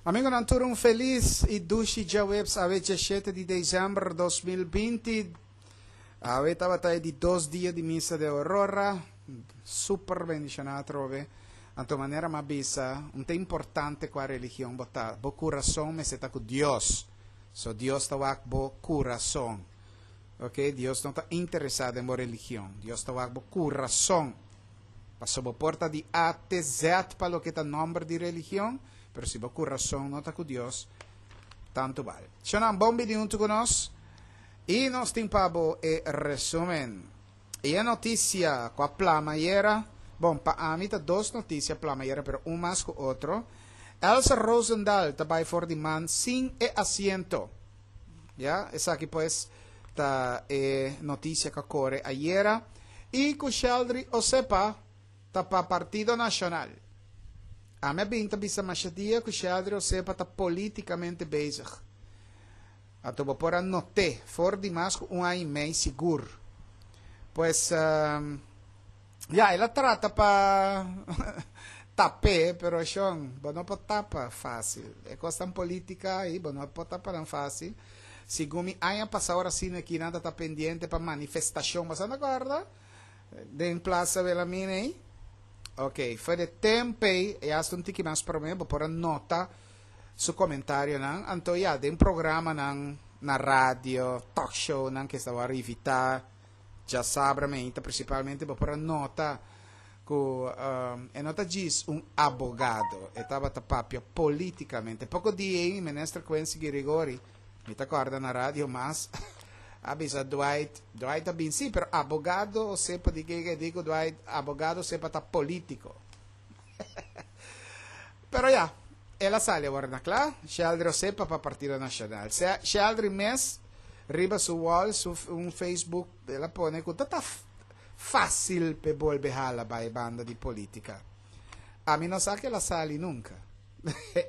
Amigonan tur un felis i dushi djaweps awe djashete di december 2020. Awe tabata e di dos dia di misa de Aurora. Super bendiciona atrobe. Anto manera m'a bisa, un ta importante cua religion bo ta, bo curason mester ta cu Dios. So Dios ta wak bo curason. Ok, Dios no ta interesa den bo religion. Dios ta wak bo curason. Paso bo por ta di A te Z pa loke ta nomber di religion, pero si bo curason no ta cu Dios, tanto bal. Shonan, bon bini hunto cu nos. I nos tin pa bo e resumen. I e noticia cu a plama ayera, bon, pa ami ta dos noticia plama ayera, pero un mas cu otro. Elsa Rozendal ta bay for di man sin e asiento. Ya, esaki pues ta e noticia cu a core ayera. I cu Sheldry Osepa ta pa Partido Nacional. Ami a bin ta bisa masha dia cu Sheldry Osepa ta politicamente bezig. Anto bo por a not'é for di mas ku un aña i mei sigur. Pues, ya, el a trata pa tap'é, pero shon, bo no por tapa fásil. E kosnan polítika ei, bo no por tapa nan fásil. Segun mi aña pasá ora asina aki nan ta ta pendiente pa manifestashon, bo sa ta kòrda? Den Plaza Wilhelmina ei. Ok, for di e tempu ei, e hasta un tiki mas promé, bo por a nota su comentarionan, anto ya den programanan na radio, talk shownan ke esta wòrdu invitá djasabra meinta principalmente bo por a nota ku e no ta djis un abogado, e tabata papia politicamente. Poko dia ei Minister Quincy Girigorie, mi ta kòrda na radio mas, a bisa Dwight, Dwight a bin sí, pero abogado Osepa di ke di ku Dwight, abogado Osepa ta politico. Pero ya, el a sali awor na kla, Sheldry Osepa pa Partido Nacional. Sheldry mes riba su wall, su un Facebook, el a pone ku ta ta fácil p'e bolbe hala bai banda di politica. Ami no sa ku el a sali nunca.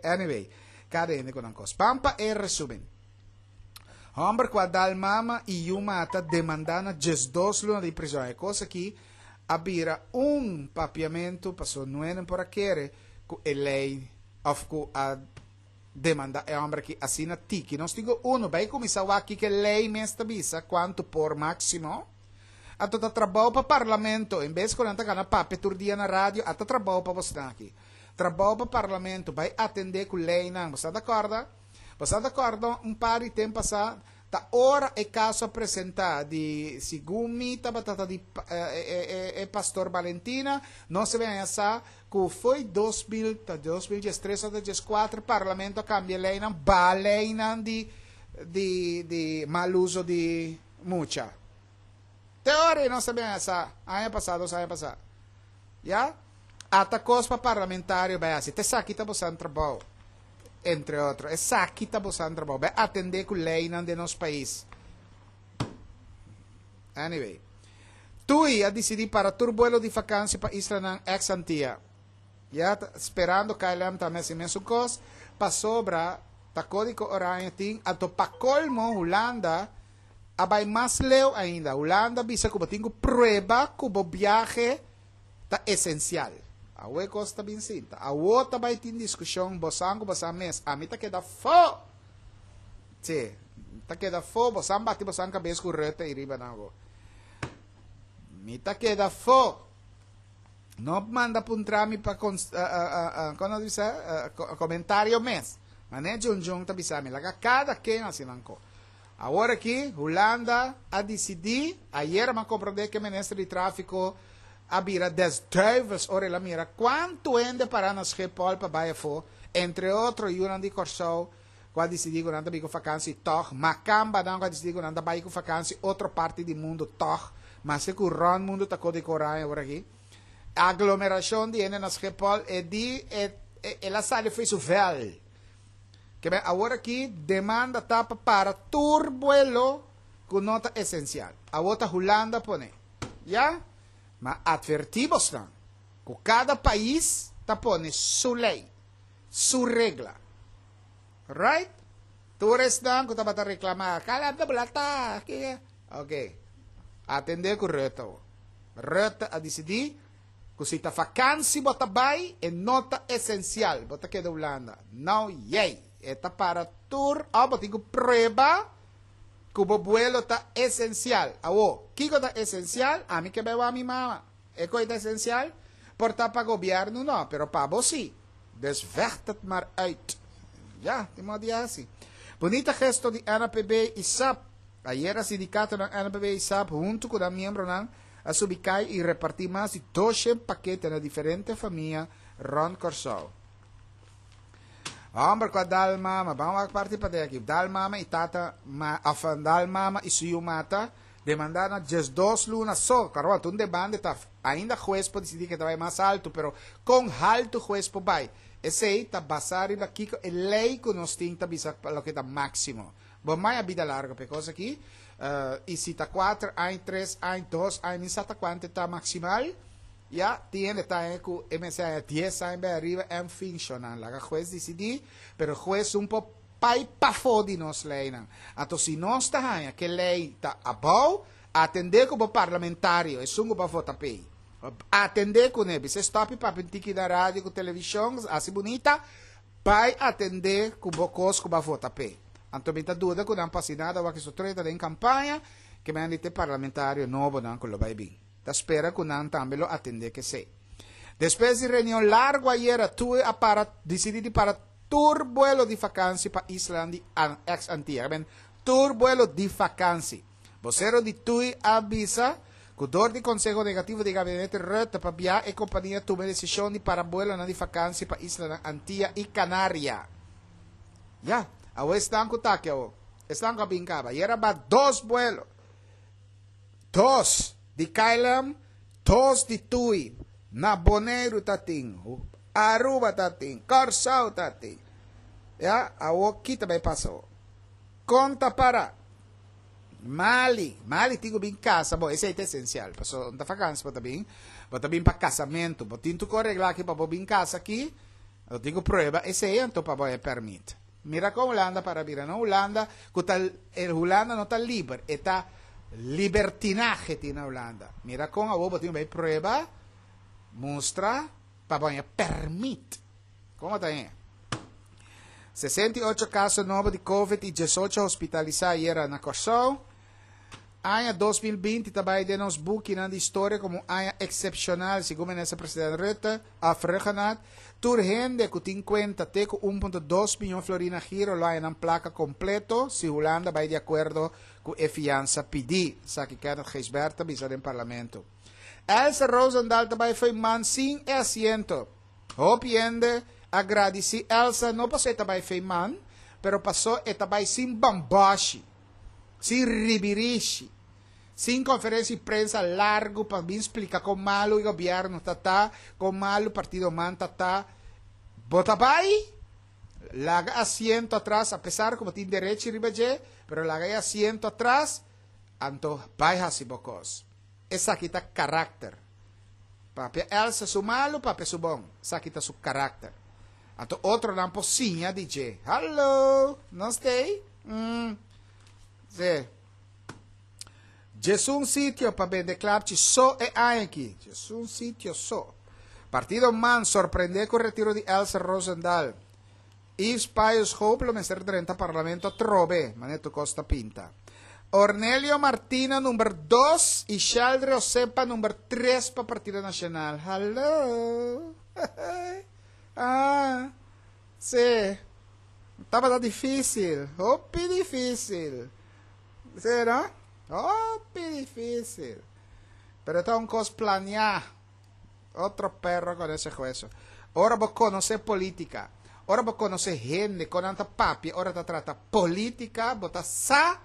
Anyway, kada hende ku nan kos. Ban pa e resumen. Homber ku a dal mama i yu mata demandá na 12 luna di prizòn. E kos aki a bira un papiamentu paso nuenen por a kere ku e lei of ku a demanda e homber aki asina tiki. Nos tin ku uno bai kuminsá wak kiko e lei mes ta bisa kuantu por máksimo. Anto ta trabou pa parlamento en bes ku nan ta gana papia tur dia na radio a ta trabou pa bosnan aki. Trabou pa parlamento bai atendé ku leinan. Bo sa ta kòrda? Bo sa ta kòrda un par di tempu pasá ta ora e kaso a presentá di segun mi tabata ta di e pastor Balentina, nos a bin haña sa ku fo'i 2000 ta 2013 òf ta 14 parlamento a kambia leinan, baha leinan di di di mal uso di mucha. Te ora ei nos a bin haña sa, aña pasá, dos aña pasá. Ya? Ata kos pa parlamentario bai hasi. Ta esaki ta bosan trabou. Entre otro. Esaki ta bosan trabou. Bai atendé ku leinan den nos pais. Anyway. Tui a disidí para tur buelo di fakansi pa islanan ex Antia. Ya, ta sperando KLM tambe hasi mesun kos. Pasobra ta Kódigo Oranje tin, anto pa kolmo Hulanda a bai mas leu ainda. Hulanda a bisa ku bo tin ku prueba ku bo biahe ta esensial. Awo e kos ta bin sinta. Awo ta bai tin diskushon, bosan ku bosan mes. Ami ta keda fo! Sí, ta keda fo. Bosan bati bosan kabes ku Rutte ei riba nan awo. Mi ta keda fo! No manda puntra mi pa kon kon nan ta bisa komentario mes. Manera Djundjun ta bisa mi, laga kada ken hasi nan ko. Awor aki Hulanda a disidí, ayera mi a komprondé ku e minister di tráfiko a bira des duivels ora el a mira kuantu hende pará na Schiphol pa bai afó, entre otro yunan di Kòrsou ku a disidí ku nan ta bin ku fakansi tòg, makambanan ku a disidí ku nan ta bai ku fakansi otro parti di mundu tòg, maske ku rònt mundu ta kódigo oranje awor aki. Aglomerashon di hende na Schiphol, e di el a sali fo'i su vèl. Kebé awor aki demanda ta pa para tur buelo ku no ta esensial. Awor ta Hulanda pone. Ya? Ma atvertí bosnan ku kada pais ta pone su lei, su regla. Right? Tur esnan ku tabata reklamá, Kala ta bula ta aki. Oke. Atendé ku Rutte awor. Rutte a disidí. Ku si ta fakansi bo ta bai, e no ta esensial, bo ta keda Hulanda. No yei, e ta para tur òf bo tin ku prueba ku bo buelo ta esensial. Awor, kiko ta esensial? Ami ke bai wak mi mama. E koi ta esensial? Por ta pa gobièrnu no, pero pa bo si. Dus vecht het maar uit. Ya, tin modo di hasi. Bunita gesto di NAPB i sap. Ayera sindikatonan NAPB i sap huntu ku nan miembronan a subi kai i repartí mas di doshen pakete na diferente famia rònt Kòrsou. Hòmber ku a dal mama, ban wak parti pa den aki, dal mama i tata ma, òf dal mama i su yu mata, demandá na 12 luna so. Karo, ta un demanda ta ainda hues por disidí ke ta bai mas altu, pero kon haltu hues por bai? Esei ta basá riba kiko e lei ku nos tin ta bisa pa loke ta máksimo. Bo mai a bida largo p'e kos aki. I si ta kuater aña, tres aña, dos aña, mi sa ta kuantu ta maksimal. Ya, tin hende ta haña ku e mester haña dies aña bai ariba, en fin, shonnan. Laga hues disidí, pero hues un por pai pafó di nos leinan. Anto si nos ta haña ku e lei ta abou, atendé ku bo parlamentario, esun ku bo a vota p'ei. Atendé kuné, bisa e stòp i papia un tiki na radio ku televishon, hasi bunita, Bai atendé ku bo kos ku bo a vota p'e. Anto mi ta duda ku nan pasi nada wak esun treta den kampaña ke men di te parlamentario nobonan ku lo bai bin. Ta spera ku nan tambe lo atendé k'esei. Despues di reunion largu ayera Tui a para disidí di para tur buelo di fakansi pa islanan di ex Antia. Men tur buelo di fakansi. Bosero di tui a bisa ku dor di konseho negativo di gabinete Rutte pabia e kompania tuma e desishon di para buelonan di fakansi pa islanan Antia i Kanaria. Ya, awo esnan ku ta aki awo, esnan ku a bin kaba. Ayera ba dos buelo. Dos di KLM, dos di tui. Na Boneiru ta tin, Aruba ta tin, Kòrsou ta tin. Ya, awo ki ta bai pasa awo? Kon ta para? Mali, Mali tin ku bin kasa, bo esei ta esensial, paso no ta fakansi bo ta bin, bo ta bin pa kasamentu, bo tin tur ku regla aki pa bo bin kasa aki, bo tin ku prueba esei anto pa bo e pèrmit. Mira kon Hulanda para bira, no Hulanda ku ta, e Hulanda no ta liber, e ta libertinahe tin na Hulanda. Mira kon awor bo tin ku bai prueba, mustra pa bo haña pèrmit. Kon bo ta haña? 68 kaso nobo di Covid i 18 hospitalisá ayera na Kòrsou. Aña 2020 ta bai den nos bukinan di historia komo un aña eksepshonal, segun Minister President Rutte, òf Rhuggenaath. Tur hende ku tin kuenta te ku 1.2 miyon florin na giro lo haña nan plaka kompleto si Hulanda bai di akuerdo ku e fiansa pidí, esaki Kenneth Gijsbert ta bisa den parlamento. Elsa Rozendal ta bai fo'i man sin e asiento. Hopi hende a gradisí Elsa no paso e ta bai fei man, pero paso e ta bai sin bamboshi, sin ribirishi, sin konferensia di prensa largu pa bin splika kon malu e gobièrnu ta ta, kon malu partido man ta ta. Bo ta bai, laga asiento atras, apesar ku bo tin derechi riba dje, pero laga e asiento atras, anto bai hasi bo kos. Esaki ta karakter. Papia Elsa su malu, papia su bon. Esaki ta su karakter. Anto otronan por siña di dje. Hallo! Nos t'ei? Mm. Sí. Djesun sitio pa bende klapchi so e aña aki. Djesun sitio so. Partido man sorprendé ku retiro di Elsa Rozendal. Yves Pius Hope lo mester drenta parlamento atrobe, manera tur kos ta pinta. Ornelio Martina number dos i Sheldry Osepa number tres pa Partido Nacional. Hallo! Ah, sí. Tabata difícil, hopi difícil. Sí, no? Hopi difícil. Pero ta un kos planeá. Otro perro con ese hueso. Ora bo conoce politica, ora bo conoce hende con nan ta papia ora ta trata politica, bo ta sa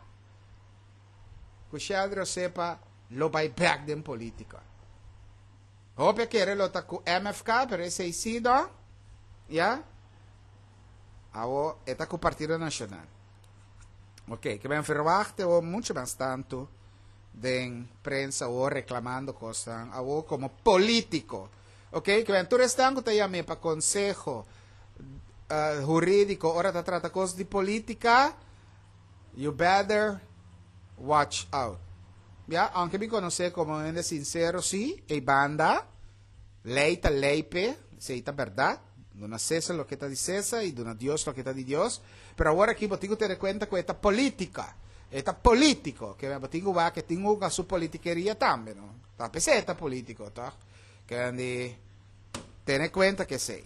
cu Sheldry Osepa lo bay bek den politica. Hopi a kere lo ta cu MFK, pero esey si no, ya. Awo e ta cu Partido Nacional. Ok, ke men verwacht e mucho mas tanto den prensa awor reclamando cosnan awor como politico. Ok, que ben tur esnan cu ta yam'é pa conseho uh, huridico ora ta trata cos di politica, you better watch out. Ya, aunque mi conoce como hende sincero, sí, ei banda, Lei ta lei p'e, esei ta bèrdat, duna César loke ta di César i duna Dios loke ta di Dios, pero awor aki bo tin ku tene kuenta ku e ta polítika, e ta polítiko, ke bo tin ku wak e tin hunga su politikeria tambe, no? Ta p'esei e ta polítiko, tòg? Ke di tene kuenta ku esei.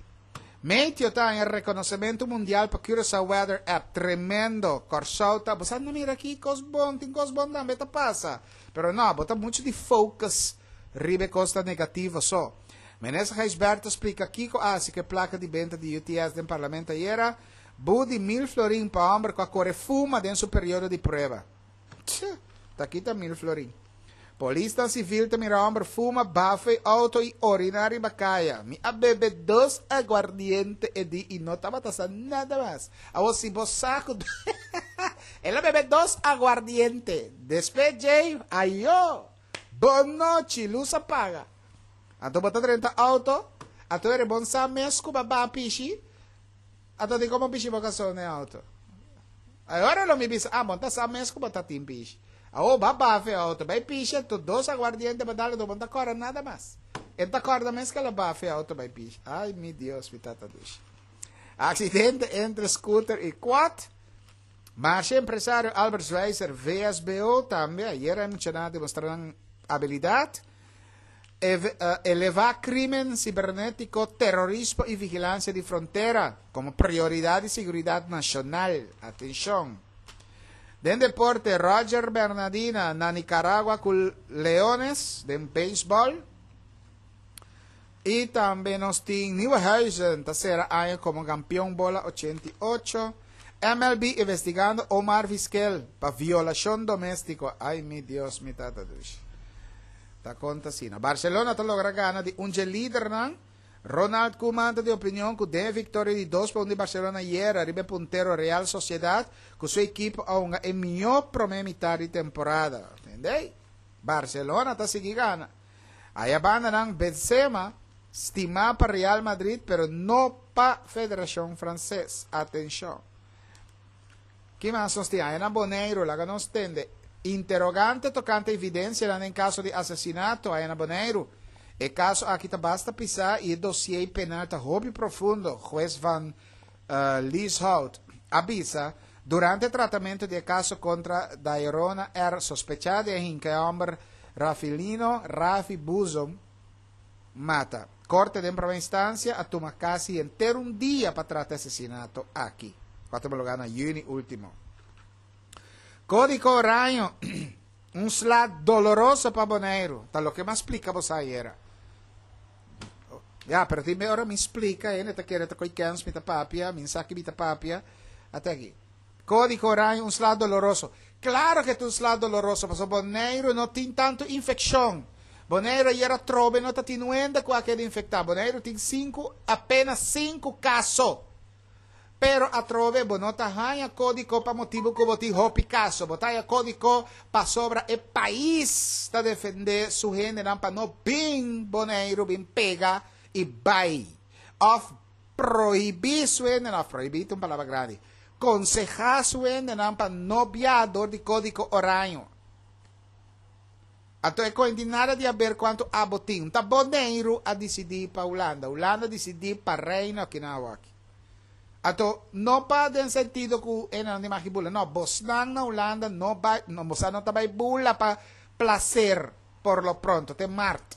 Meteo ta haña rekonosementu mundial pa Curaçao Weather App, tremendo! Kòrsou ta, bo sa no mira aki kos bon, tin kos bon tambe ta pasa, pero no, bo ta muchu di focus Riba e kos ta negativo so. Minister Gijsbertha splika kiko a hasi ku e plaka di benta di UTS den parlamento ayera, Bu di mil florin pa hòmber ku a kore fuma den su periodo di prueba. Tch! Ta kita mil florin. Polisnan sivil ta mira hòmber fuma, bafa e outo i oriná riba kaya. Mi a bebe dos aguardiente e di i no tabata sa nada mas. Awor si bo sa ku El a bebe dos aguardiente. Despues djei, ayó! Bon nochi, lus a paga. Anto bo ta drenta auto, anto e bon sa mes ku bo ba pishi, anto di komo pishi bo kaso na e auto. Ahora lo mi bisa, ah, bo ta sa mes ku bo ta tin pishi. Awo ba bafa e auto, bai pishi, anto dos aguardiente bo dal, anto bo no ta kòrda nada mas. E ta kòrda mes ku el a bafa e auto bai pishi. Ay, mi Dios, mi tata dushi. Aksidente entre scooter i quad. Masha empresario Albert Schweitzer, VSBO, tambe ayera a mencioná demostra nan abilidad. Elevá crimen cibernético, terrorismo y vigilancia di frontera como prioridad di seguridad nacional. Atencion. Den deporte, Roger Bernadina na Nicaragua cu Leones den baseball. Y tambe nos tin Nieuwenhuizen ta cera aña como campeon bola 88. MLB investigando Omar Vizquel pa violacion domestico. Ay mi Dios mi tata dushi. Ta conta asina. Barcelona ta logra gana di un dje lidernan. Ronald Koeman ta di opinion cu den e victoria di dos pa un di Barcelona ayera riba e puntero Real Sociedad cu su ekipo a hunga e miho prome mitad di temporada. Tende? Barcelona ta sigui gana. Aya bandanan Benzema stima pa Real Madrid pero no pa Federacion Frances. Atencion. Ki mas nos tin? Aya na Boneiru, laga nos tende. Interrogante tocante evidencianan den caso di asesinato aya na Boneiru. E caso aki ta basta pisa y e dossier penal ta hopi profundo, Hues van Lieshout a bisa durante tratamento di e caso contra Dairona R. sospecha di a hinca e homber Rafilino Rafi Buzom mata. Corte den prome instancia a tuma casi henter un dia pa trata e asesinato aki, cu a tuma lugar na juni ultimo. Codico Oraño, un sla doloroso pa Boneiru, ta loke mi a splica boso ayera. Ya, pero tin be ora mi splica, hende ta kere ta koy kens mi ta papia, mi sa ki mi ta papia. Ate aki. Codico Oraño, un sla doloroso. Claro ke ta un sla doloroso, pasobra Boneiru no tin tantu infeccion. Boneiru ayera trobe no ta tin nuenda ku a keda infecta. Boneiru tin sinku, apenas sinku caso. Pero atrobe bo no ta haña kódiko pa motibu ku bo tin hopi kaso. Bo ta haña kódiko pasobra e pais ta defendé su hendenan pa no bin Boneiru bin pega i bai. Òf prohibí su hendenan, òf prohibí ta un palabra grandi, konsehá su hendenan pa no biaha dor di kódiko oraño. Anto e koe tin nada di haber kuantu abo tin. Ta Boneiru a disidí pa Hulanda. Hulanda a disidí pa Reino aki na awaki. Anto no pa den sentido ku e nan di maki bula. No, bosnan na Hulanda no bai, no, bosa no ta bai bula pa placer por lo pronto, te mart.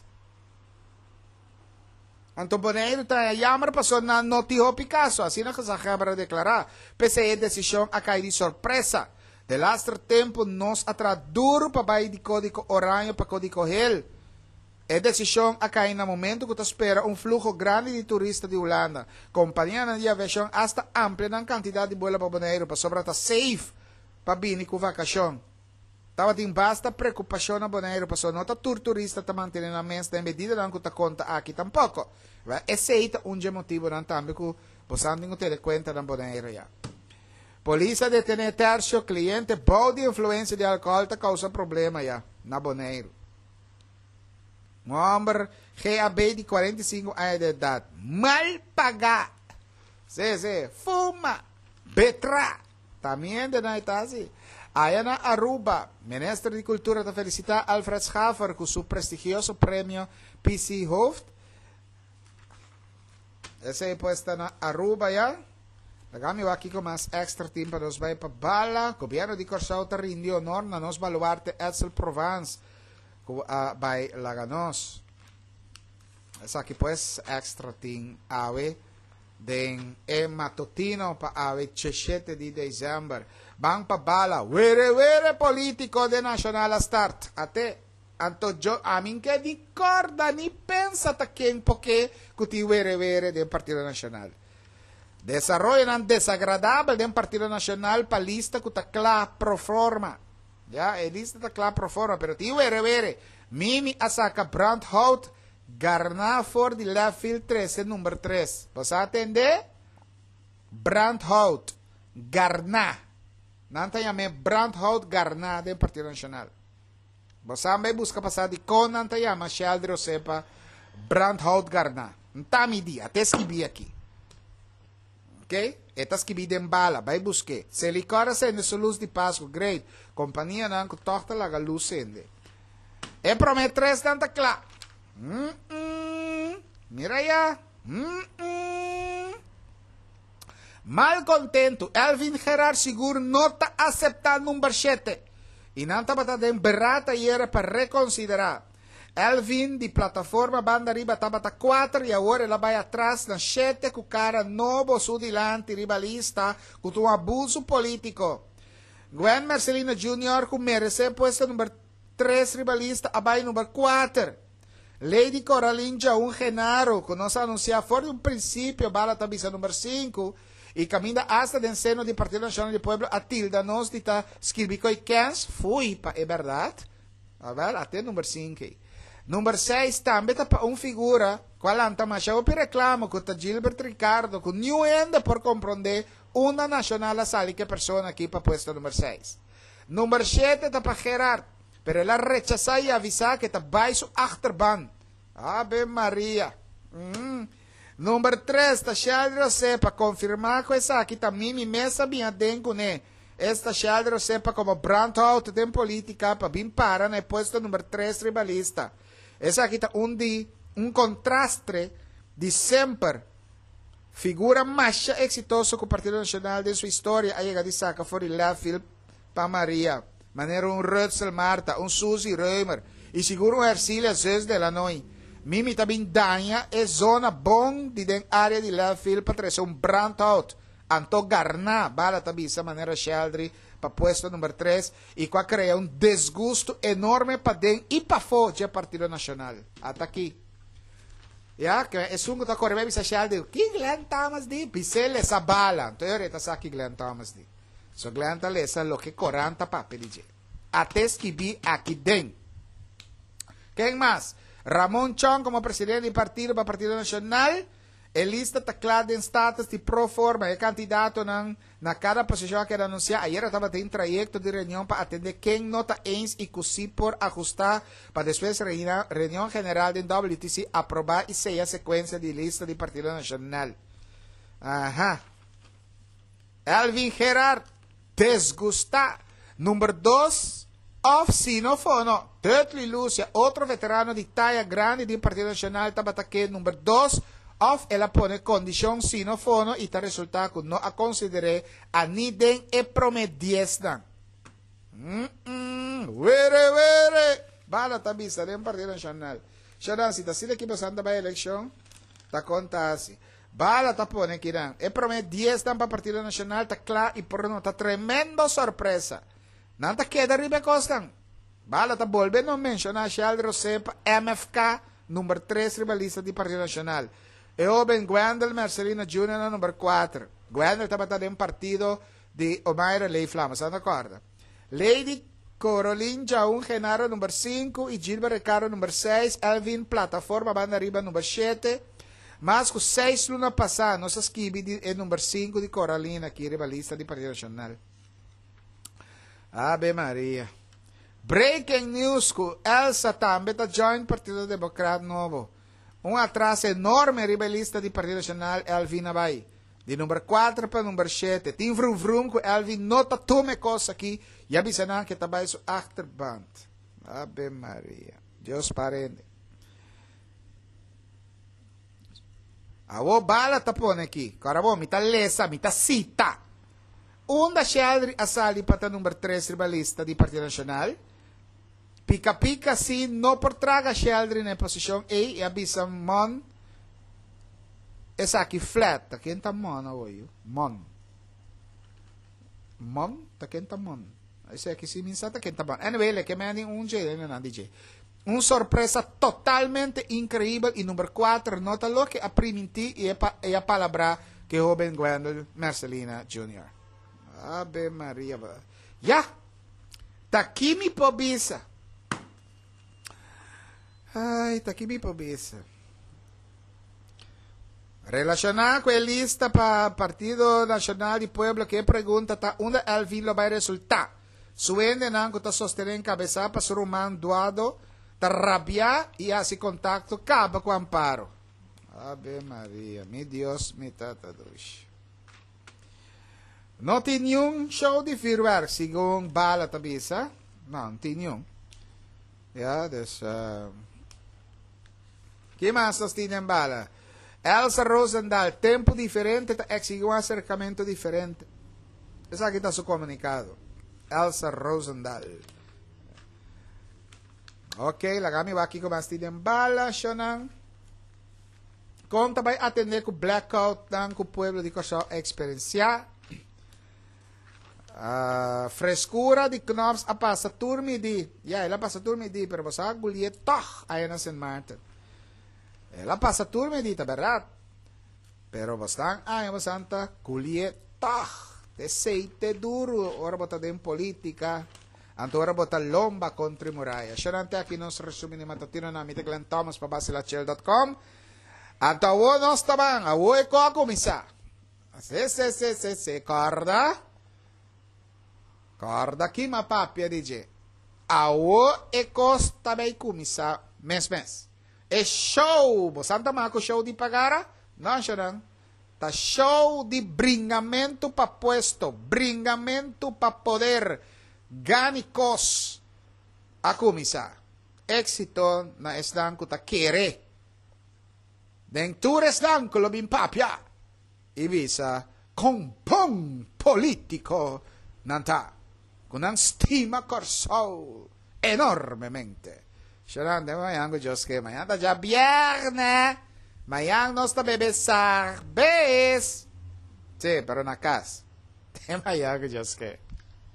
Anto Boneiru ta haña jammer pasobra nan no tin hopi kaso, asina gezaghebber a deklará. P'esei e desishon a kai di sorpresa. Delaster tempu nos a traha duru pa bai di kódiko oraño pa kódiko hel. E desishon a kai na momentu ku ta spera un fluho grandi di turista di Hulanda. Kompanianan di aviashon asta amplia nan kantidat di buelo pa Boneiru pasobra ta safe pa bini ku vakashon. Tabatin basta preokupashon na Boneiru pasobra no ta tur turista ta mantené nan mes den medidanan ku ta konta aki tampoko. Esei ta un dje motibunan tambe ku bosan tin ku tene kuenta na Boneiru ya. Polis a detené tercio cliente bou di influencia di alcohol ta causa problema ya na Boneiru. Un homber GAB di 45 aña di edad, mal pagá, sí, sí, fuma, betra, ta mi hendenan e ta haci. Aya na Aruba, Minister di Cultura ta felicita Alfred Schaffer cu su prestigioso premio PC Hooft. Esei pues ta na Aruba ya. Laga mi wak kiko mas extra tin pa nos bai pa bala. Gobierno di Kòrsou ta rindi honor na nos baluarte Edsel Provence ku a bai laga nos. Esaki pues extra tin awe den e matutino pa awe 17 di december. Ban pa bala. Were were politico den Nacional a start. Ate. Anto jo ami n'ke ni kòrda ni pensa ta ken poke ku tin were were den Partido Nacional. Desaroyonan desagradabel den Partido Nacional pa lista ku ta kla pro forma. Ya, e lista ta kla pro forma, pero tin were were. Mimi a saka brandhout garná for di left field trese number tres. Bo sa tende? Brandhout garná. Nan ta yam'é brandhout garná den Partido Nacional. Bo sa bai buska pa sa dikon nan ta yama Sheldry Osepa brandhout garná. N'ta mi di, a te skibí aki. Ok? E ta skibí den bala, bai busk'é. Selikor a sende su lus di Pasku, great. Kompanianan ku tòg ta laga lus sende. E promé tresnan ta kla. Mm-mm. Mira ya. Mm-mm. Malkontentu, Elvin Gerard sigur no ta aseptá number shete i nan tabata den beraad ayera pa rekonsiderá. Elvin di Plataforma Banda Riba tabata kuater i awor el a bai atras na shete ku kara nobo su dilanti riba lista ku ta un abusu polítiko. Gwen Mercelina Junior ku meresé puesto number tres riba lista a bai number kuater. Lady Coralyn Djaun Genaro, ku nos a anunsiá for di un prinsipio bala ta bisa number sinku, i kaminda asta den seno di Partido Nashonal di Pueblo a tilda nos di ta skirbi koe kens, fui pa e bèrdat. Awèl, ate number sinku ei. Number seis tambe ta pa un figura ku a lanta masha hopi reklamo ku ta Gilbert Ricardo ku niun hende por komprondé unda Nashonal a sali ku e persona aki pa puesto number seis. Number shete ta pa Gerard. Pero el a rechasá i avisá ku e ta bai su achterban. Ave Maria! Mm. Number tres, ta Sheldry Osepa konfirmá ku esaki ta Mimi mes a bin aden kuné. Esta Sheldry Osepa komo brandhout den polítika pa bin para na e puesto number tres riba lista. Esaki ta un di un kontrastre di semper. Figura masha eksitoso ku Partido Nashonal den su historia a yega di saka for di left field pa Maria, manera un Rutzel Martha, un Suzy Römer i sigur un Ercilia Zus de Lanoy. Mimi ta bin daña e zona bon di den área di left field pa trese un brandhout. Anto garná, bala ta bisa manera Sheldry pa puesto number tres i ku a krea un desgustu enorme paden i pafó dje Partido Nashonal. Ata aki. Ya, ke esun ku ta kore bai bisa Sheldry, Ki Glenn Thomas di? Bis'é lesa bala. Anto e ora e ta sa ki Glenn Thomas di. So Glenn ta lesa loke koran ta papia di dje. Ate skibí aki den. Ken mas? Ramon Chong komo presidente di partido pa Partido Nashonal. E lista ta kla den status di pro forma. E kandidatonan na kada posishon a keda anunsiá. Ayera tabatin trayekto di reunion pa atendé ken no ta eens i ku si por ahustá pa despues reunion general den WTC aprobá i seya sekuensia di lista di Partido Nashonal. Aha. Elvin Gerard, desgustá. Number dos, òf si no fono, Dudley Lucia, otro veterano di taya grandi den Partido Nacional tabata ke number dos, òf el a pone kondishon si no fono i ta resultá ku no a konsider'é a ni den e promé diesnan. Mm-mm, were were! Bala ta bisa den Partido Nacional. Shadan, si ta asina ki bosan ta bai elekshon, ta konta hasi. Bala ta pone kinan. E prome diesnan pa Partido Nacional ta kla i por nota tremendo sorpresa. Nan ta keda riba e kosnan. Bala ta bolbe no menshona Sheldry Rosé pa MFK number tres riba lista di Partido Nacional. E hoben Gwendel Mercelina Junior na number kuater. Gwendel tabata den partido di Omaira Leeflama, sa no korda. Lady Corolin Jaun Genaro number sinku i Gilbert Ricardo number seis, Elvin Plataforma banda riba number shete. Mas ku seis luna pasá nos a skibi di e number sinku di Coralin aki riba lista di Partido Nacional. Ave Maria. Breaking news ku Elsa tambe ta join Partido Democrat Nobo. Un atras enorme riba e lista di Partido Nacional Elvin a bai. Di number kuater pa number shete. Tin vrum vrum ku Elvin no ta tuma e kos aki i a bisa nan ku e ta bai su achterband. Ave Maria. Dios parende. Awo Bala ta pone aki. Kòrda bo, mi ta lesa, mi ta sita. Unda Sheldry a sali pa ta number tres riba lista di Partido Nashonal? Pika Pika si no por traga Sheldry na e posishon ei i a bisa Mon esaki flat. Ta ken ta Mon awo yu? Mon. Mon? Ta ken ta Mon? Esaki si mi sa ta ken ta Mon. Anyway, leke mi a di un dje, nan di dje. Un sorpresa totalmente increibel y number cuater no ta loke a priminti y e pa e a palabra cu e hoben Gwendel Mercelina Junior. Ave Maria. Ya! Ta ki mi por bisa? Ay, ta ki mi por bisa? Relaciona cu e lista pa Partido Nacional di Pueblo cu e pregunta ta unda Elvin lo bay resulta. Su hendenan ku ta sostené enkabesá pa su ruman Duado ta rabiá i hasi kontakto kaba ku Amparo. Ave Maria, mi Dios, mi Tata dushi. No tin niun show di vuurwerk, segun Bala ta bisa. No, no tin niun. Ja, dus... Uh, Ki mas nos tin den Bala? Elsa Rozendal, Tempu diferente ta exigi un aserkamentu diferente. Esaki ta su komunikado. Elsa Rozendal. Ok, laga mi wak kiko mas tin den bala, shonan. Kon ta bai atendé ku blackoutnan ku pueblo di Kòrsou a eksperensiá? Ah, frescura di Knops a pasa tur midi. Ja, el a pasa tur midi, pero bo sa gulié tog aya na Sint Maarten. El a pasa tur midi, ta berdad. Pero bo stan aña bo san ta gulié tog. Te seite duro ora bo ta den politica. Anto ora bo ta lomba contra e muraya. Shonante aki nos resumi di matutino na mi ta Glenn Thomas pa basilachel.com. Anto awo nos ta ban, awo e ko a kumisa. Se, se, se, se, se, corda? Corda ki m'a papia di dje. Awo e cos ta bay cuminsa mes mes. E show! Bo sa ta maco show di pagara? No, anshanan. Ta show di bringamento pa puesto, bringamento pa poder, gani cos a cuminsa. Exito na esnan cu ta kere. Den tur esnan cu lo bin papia i bisa kon bon politico nan ta, cu nan stima Corsou enormemente. Sharon, den mañan cu Dios ke, mañan ta djabierne, mañan nos ta bebe sarbes. Si, pero na cas. Den mañan cu Dios ke.